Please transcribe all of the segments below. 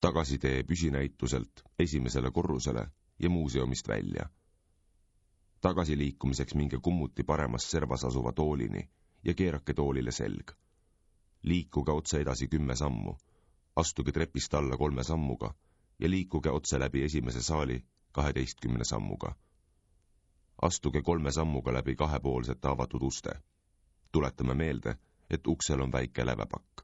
Tagasi tee püsinäituselt esimesele korrusele ja muuseumist välja. Tagasi liikumiseks minge kummuti paremas servas asuva toolini ja keerake toolile selg. Liikuge otse edasi 10 sammu, astuge trepist alla 3 sammuga ja liikuge otse läbi esimese saali 12 sammuga. Astuge 3 sammuga läbi kahepoolsete avatud uste. Tuletame meelde, et uksel on väike lävepakk.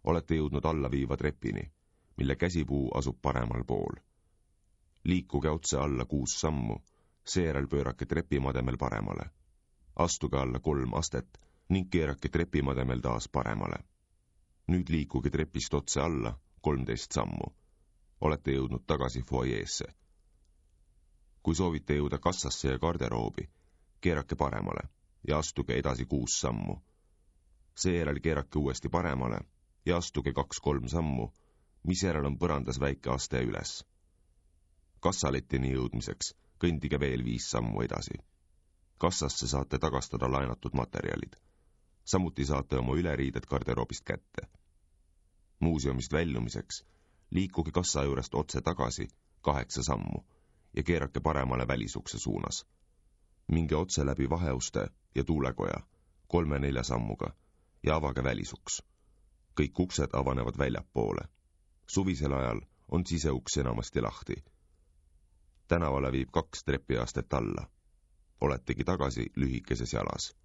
Olete jõudnud alla viiva trepini, mille käsipuu asub paremal pool. Liikuge otse alla 6 sammu, seejärel pöörake trepimademel paremale. Astuge alla 3 astet ning keerake trepimademel taas paremale. Nüüd liikuge trepist otse alla 13 sammu. Olete jõudnud tagasi foajeesse. Kui soovite jõuda kassasse ja garderoobi, keerake paremale ja astuge edasi 6 sammu. Seejärel keerake uuesti paremale ja astuge 2-3 sammu, misjärel on põrandas väike aste üles. Kassalettini jõudmiseks kõndige veel 5 sammu edasi. Kassasse saate tagastada laenatud materjalid. Samuti saate oma üleriided garderoobist kätte. Muuseumist väljumiseks liikuge kassa juurest otse tagasi 8 sammu ja keerake paremale välisukse suunas. Minge otse läbi vaheuste ja tuulekoja 3-4 sammuga ja avage välisuks. Kõik uksed avanevad väljapoole. Suvisel ajal on siseuks enamasti lahti. Tänavale viib 2 trepiastet alla. Oletegi tagasi lühikeses jalas.